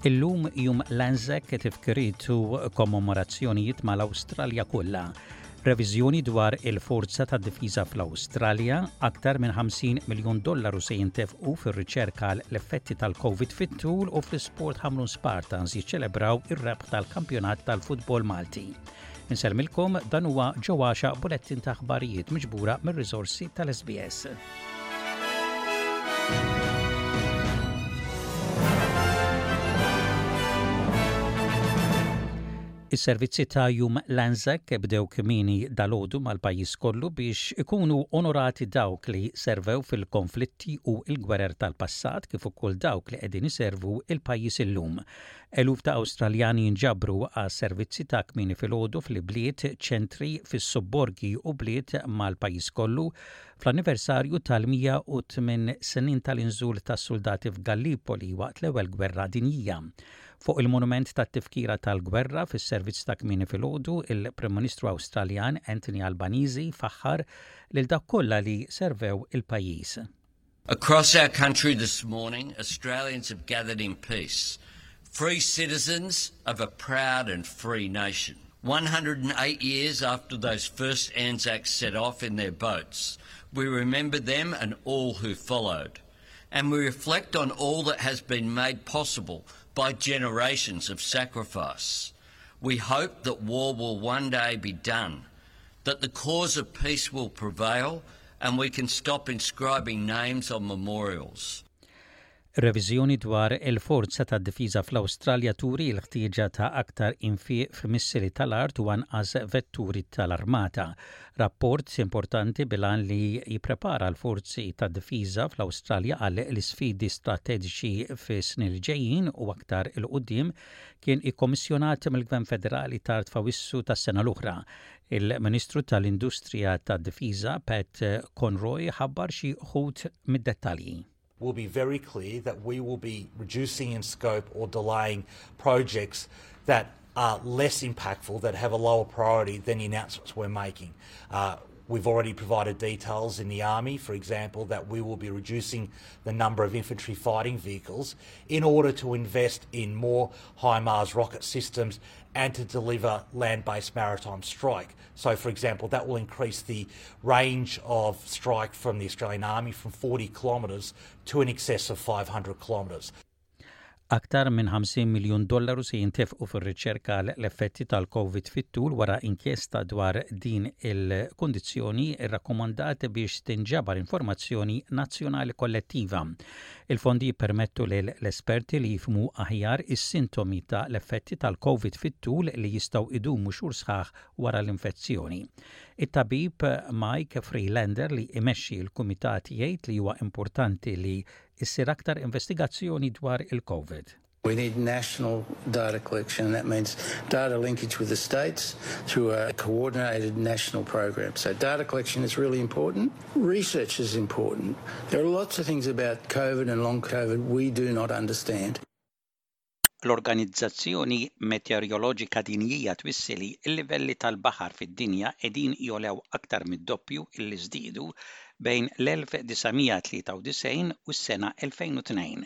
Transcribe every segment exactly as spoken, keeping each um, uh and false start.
Illum jum l-Anzac, tifkiriet u kommemorazzjonijiet mal-Awstralja kollha. Reviżjoni dwar il-forza ta' difiża fl-Awstralja, aktar minn ħamsin miljun dollaru se jintefqu fir-riċerka l-effetti tal-Covid fit-tul u fl-isport Ħamrun Spartans jiċċelebraw ir-rebħ tal-kampjonat tal-futbol Malti. Insellmilkom, dan huwa ġewwaxa bulettin ta' aħbarijiet miġbura mir-riżorsi tal-S B S. Is-servizzi ta' Jum l-Anzac bdew kmieni dalgħodu mal-pajjiż kollu biex ikunu onorati dawk li servew fil-konflitti u l-gwerer tal-passat kif ukoll dawk li qegħdin iservu il-pajjiż illum. Eluf ta' Awstraljani jinġabru għas servizzi ta' kmieni filgħodu fil-bliet, ċentri, fis-sobborgi u bliet mal-pajjiż kollu fl-anniversarju tal-mija u tmien snin tal-inżul tas-soldati f'Gallipoli waqt l-Ewwel Gwerra Dinjija. Fuq il-monument tat-tifkira tal-gwerra fis-servizz ta' kmieni filgħodu, il-Prim Ministru Awstraljan Anthony Albanese faħħar lil dak kollha li servew il-pajjiż. Across our country this morning, Australians have gathered in peace, free citizens of a proud and free nation. one hundred and eight years after those first Anzacs set off in their boats, we remember them and all who followed. And we reflect on all that has been made possible by generations of sacrifice. We hope that war will one day be done, that the cause of peace will prevail, and we can stop inscribing names on memorials. Reviżjoni dwar il-forza ta' difiża fl-Awstralja turi l-ħtieġa ta' aktar infiq f'missili tal-art u anqas vetturi tal-armata. Rapport importanti bil-għan li jipprepara l-forzi ta' difiża fl-Awstralja għal l-isfidi strateġiċi fi snin li ġejjin u aktar 'il quddiem kien ikkommissjonat mill-Gvern Federali tard f'Awwissu tas-sena l-oħra. Il-Ministru tal-Industrija tad-Difiża Pat Conroy ħabbar xi wħud mid-dettalji. Will be very clear that we will be reducing in scope or delaying projects that are less impactful, that have a lower priority than the announcements we're making. Uh, we've already provided details in the Army, for example, that we will be reducing the number of infantry fighting vehicles in order to invest in more HIMARS rocket systems and to deliver land-based maritime strike. So, for example, that will increase the range of strike from the Australian Army from forty kilometres to in excess of five hundred kilometres. Aktar minn ħamsin miljun dollaru se jintefqu fir-riċerka l-effetti tal-Covid fit-tul wara inkjesta dwar din il-kondizzjoni irrakkomandat biex tinġabar informazzjoni nazzjonali kollettiva. Il-fondi jippermettu l-esperti li jifhmu aħjar is-sintomi ta' l-effetti tal-Covid fit-tul li jistgħu idumu xhur sħaħ wara l-infezzjoni. It-tabib Mike Freelander li imexxi l-kumitat jgħid li huwa importanti li issir aktar investigazzjoni dwar il-Covid. We need national data collection, and that means data linkage with the states through a coordinated national program. So, data collection is really important. Research is important. There are lots of things about COVID and long COVID we do not understand. L-Organizzazzjoni Meteoroloġika Dinjija twissi li l-livelli tal-baħar fid-dinja qegħdin jogħlew aktar mid-doppju illi żdiedu bejn l-elf disa' mija tlieta u disgħin u s-sena elfejn u tnejn.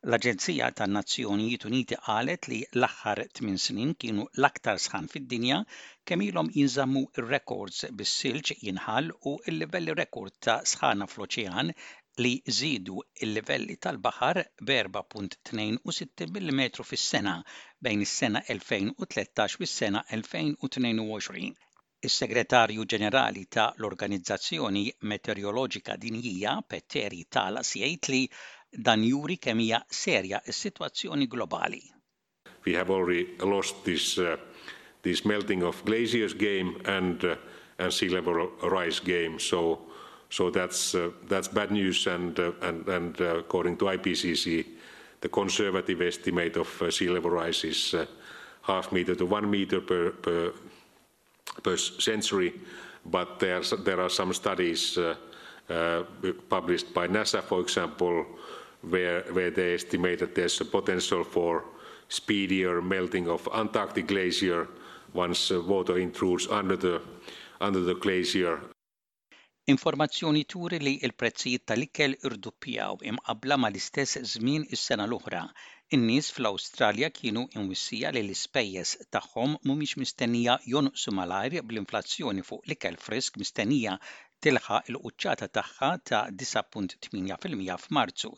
L-Aġenzija tan-Nazzjonijiet Uniti qalet li l-aħħar tmien snin kienu l-aktar sħan fid-dinja kemm ilhom jinżammu ir-records, bis-silġ jinħall u l-livelli rekord ta' sħana fl-oċean li żiedu il-livelli tal-baħar b'erbgħa punt tnejn u sittin millimetru fis-sena bejn is-sena elfejn u tlettax u s-sena elfejn u tnejn u għoxrin. Is-Segretarju Ġenerali ta' l-Organizzazzjoni Meteoroloġika Dinjija Petteri Taalas jgħid li dan juri kemm hija serja s-sitwazzjoni globali. We have already lost this, uh, this melting of glaciers game and, uh, and sea level rise game. So, so that's, uh, that's bad news and, uh, and, and uh, according to I P C C, the conservative estimate of uh, sea level rise is uh, half meter to one meter per, per, per century, but there, there are some studies uh, uh, published by NASA, for example, where, where they estimate that there's a potential for speedier melting of Antarctic glacier once uh, water intrudes under the, under the glacier. Informazzjoni turi li l-prezzijiet tal-ikel irduppjaw imqabbla mal-istess żmien is-sena l-oħra. In-nies fl-Awstralja kienu imwissija li l-ispejjeż tagħhom mhumiex mistennija jonqsu malajr, bl-inflazzjoni fuq l-ikel frisk mistennija tilħaq il-quċċata tagħha ta' disgħa punt tmienja fil-mija f'Marzu.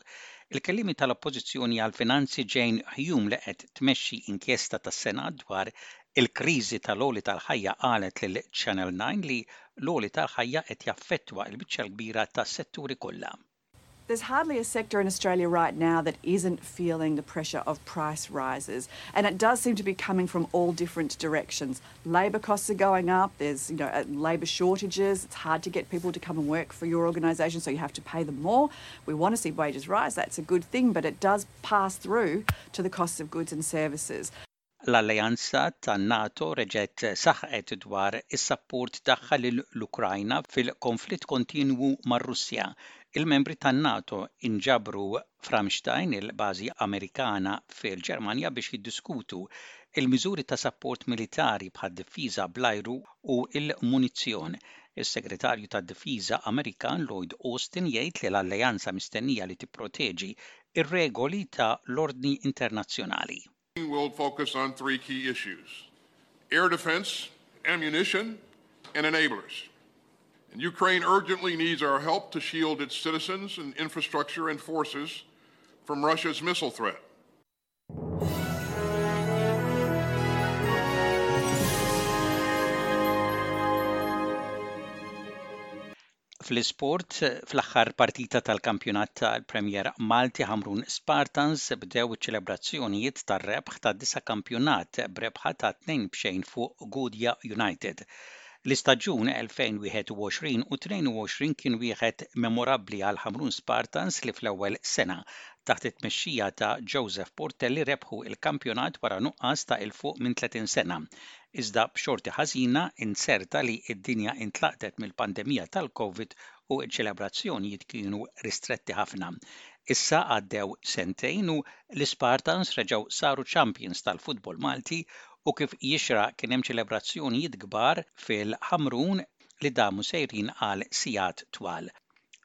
Il-kelliema tal-Oppożizzjoni għal-Finanzi Jane Hume, li qed tmexxi inkjesta tas-Senat dwar il-kriżi tal-għoli tal-ħajja, qalet lil Channel nine li l-għoli tal-ħajja qed jaffettwa l-biċċa kbira tas-setturi kollha. There's hardly a sector in Australia right now that isn't feeling the pressure of price rises. And it does seem to be coming from all different directions. Labour costs are going up, there's you know, uh, labour shortages, it's hard to get people to come and work for your organisation, so you have to pay them more. We want to see wages rise, that's a good thing, but it does pass through to the costs of goods and services. L-Alleanza tan-NATO reġgħet saħqet dwar is-sapport tagħha lill-Ukrajna fil-konflitt kontinwu mar-Russja. Il-membri tan-NATO inġabru f'Ramstein, il-bażi Amerikana fil-Ġermanja, biex jiddiskutu il-miżuri ta' sapport militari bħad-difiża bl-ajru u l-munizzjon. Is-Segretarju tad-Difiża Amerikan Lloyd Austin jgħid li l-alleanza mistennija li tipproteġi ir-regoli ta' l-ordni internazzjonali. We'll focus on three key issues: air defense, ammunition, and enablers. And Ukraine urgently needs our help to shield its citizens and infrastructure and forces from Russia's missile threat. Fl-isport, fl-aħħar partita tal-kampjonat tal-Premier Malti, Ħamrun Spartans bdew iċ-ċelebrazzjonijiet tar-rebħ ta' disa' kampjonat b'rebħa ta' tnejn b'xejn fuq Gudja United. L-istaġun elfejn u wieħed u għoxrin u tnejn u għoxrin kien wieħed memorabbli għal Ħamrun Spartans, li fl-ewwel sena taħt it-tmexxija ta' Joseph Portelli rebħu il-kampjonat wara nuqqas ta' 'il fuq minn tletin sena. Iżda b'xorti ħażina inzerta li d-dinja intlaqtet mill-pandemija tal-Covid u ċ-ċelebrazzjonijiet kienu ristretti ħafna. Issa għaddew sentejn u l-Spartans reġgħu saru champions tal-futbol Malti, u kif jixraq kien hemm ċelebrazzjonijiet kbar fil-Ħamrun li damu sejrin għal sigħat twal.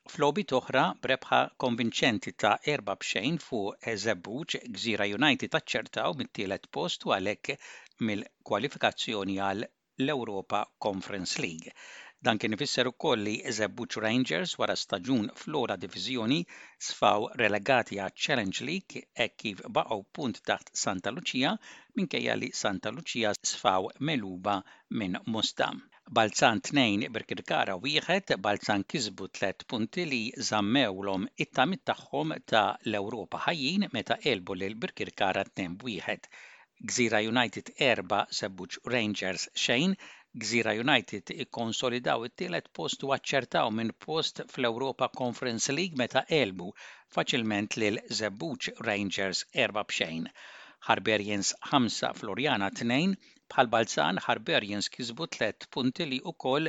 F'logħbiet oħra, b'rebħa konvinċenti ta' erba' b'xejn fuq Żebbuġ, Gżira United aċċertaw mit-tielet post u għalhekk mill-kwalifikazzjoni għal l-Europa Conference League. Dan kien ifisser ukoll li Żebbuġ Rangers, wara staġun fl-ogħla diviżjoni, sfaw relegati għaċ Challenge League hekk kif baqgħu punt taħt Santa Lucia, minkejja li Santa Lucia sfaw megħluba minn Mosta. Balzan tnejn, Birkirkara wieħed. Balzan kisbu tliet punti li żammewlhom it-tamiet tagħhom ta' l-Ewropa ħajjin meta għelbu lil Birkirkara tnejn b'wieħed. Gżira United erba', Żebbuġ Rangers xejn. Gżira United ikkonsolidaw it-tielet post u aċċertaw minn post fl-Europa Conference League meta għelbu faċilment lil Żebbuġ Rangers erba' b'xejn. Hibernians ħamsa, Floriana tnejn. Bħal Balzan, Hibernians kisbu tliet punti li wkoll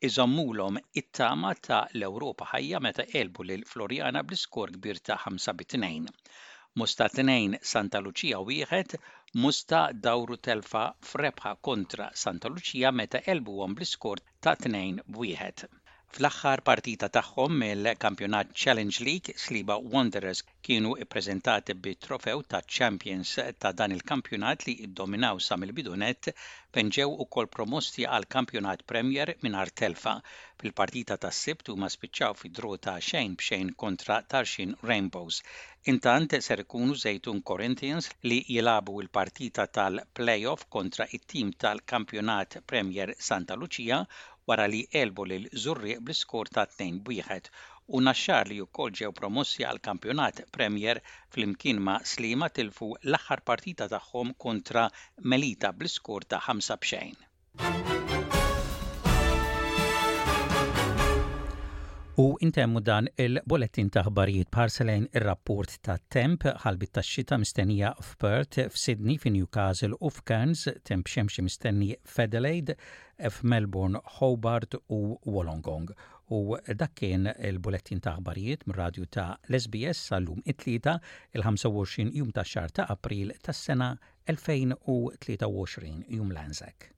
iżommulhom it-tama ta' l-Ewropa ħajja meta għelbu lil Floriana bl-iskor kbir ta' ħamsa bi tnejn. Mosta tnejn, Santa Lucia wieħed. Mosta dawru telfa f'rebħa kontra Santa Lucia meta għelbuhom bl-iskor ta' tnejn b'wieħed. Fl-aħħar partita tagħhom mill-Kampjonat Challenge League, Sliema Wanderers kienu ippreżentati bi trofew ta' Champions ta' dan il-kampjonat li iddominaw sa mill-bidu nett, fejn ġew ukoll promossi għal Kampjonat Premier mingħajr telfa. Fil-partita tas-Sibt huma spiċċaw fi draw ta' xejn b'xejn kontra Tarxien Rainbows. Intant ser ikunu Żejtun Corinthians li jilagħbu l-partita tal-playoff kontra it-tim tal-Kampjonat Premier Santa Lucia, wara li għelbu lil Żurrieq bl-iskor ta' tnejn b'wieħed, u Naxxar, li wkoll ġew promossi għal Kampjonat Premier flimkien ma' Sliema, tilfu l-aħħar partita tagħhom kontra Melita bl-iskor ta' ħamsa b'xejn. U intemmu dan il-bulletin ta' ħbarijiet b'ħarsa lejn ir-rapport ta' temp. Ħalbiet ta' xita mistennija f'Perth, f'Sydney, f'Newcastle u f'Cairns, temp xemxi mistenni f'Adelaide, f'Melbourne, Hobart u Wollongong. U dak kien il-bulletin ta' ħbarijiet mir-radju ta' l-S B S sal-lum it-Tlieta, il-ħamsa u għoxrin jum ta' xahar ta' April tas-sena elfejn u tlieta u għoxrin, Jum l-Anzac.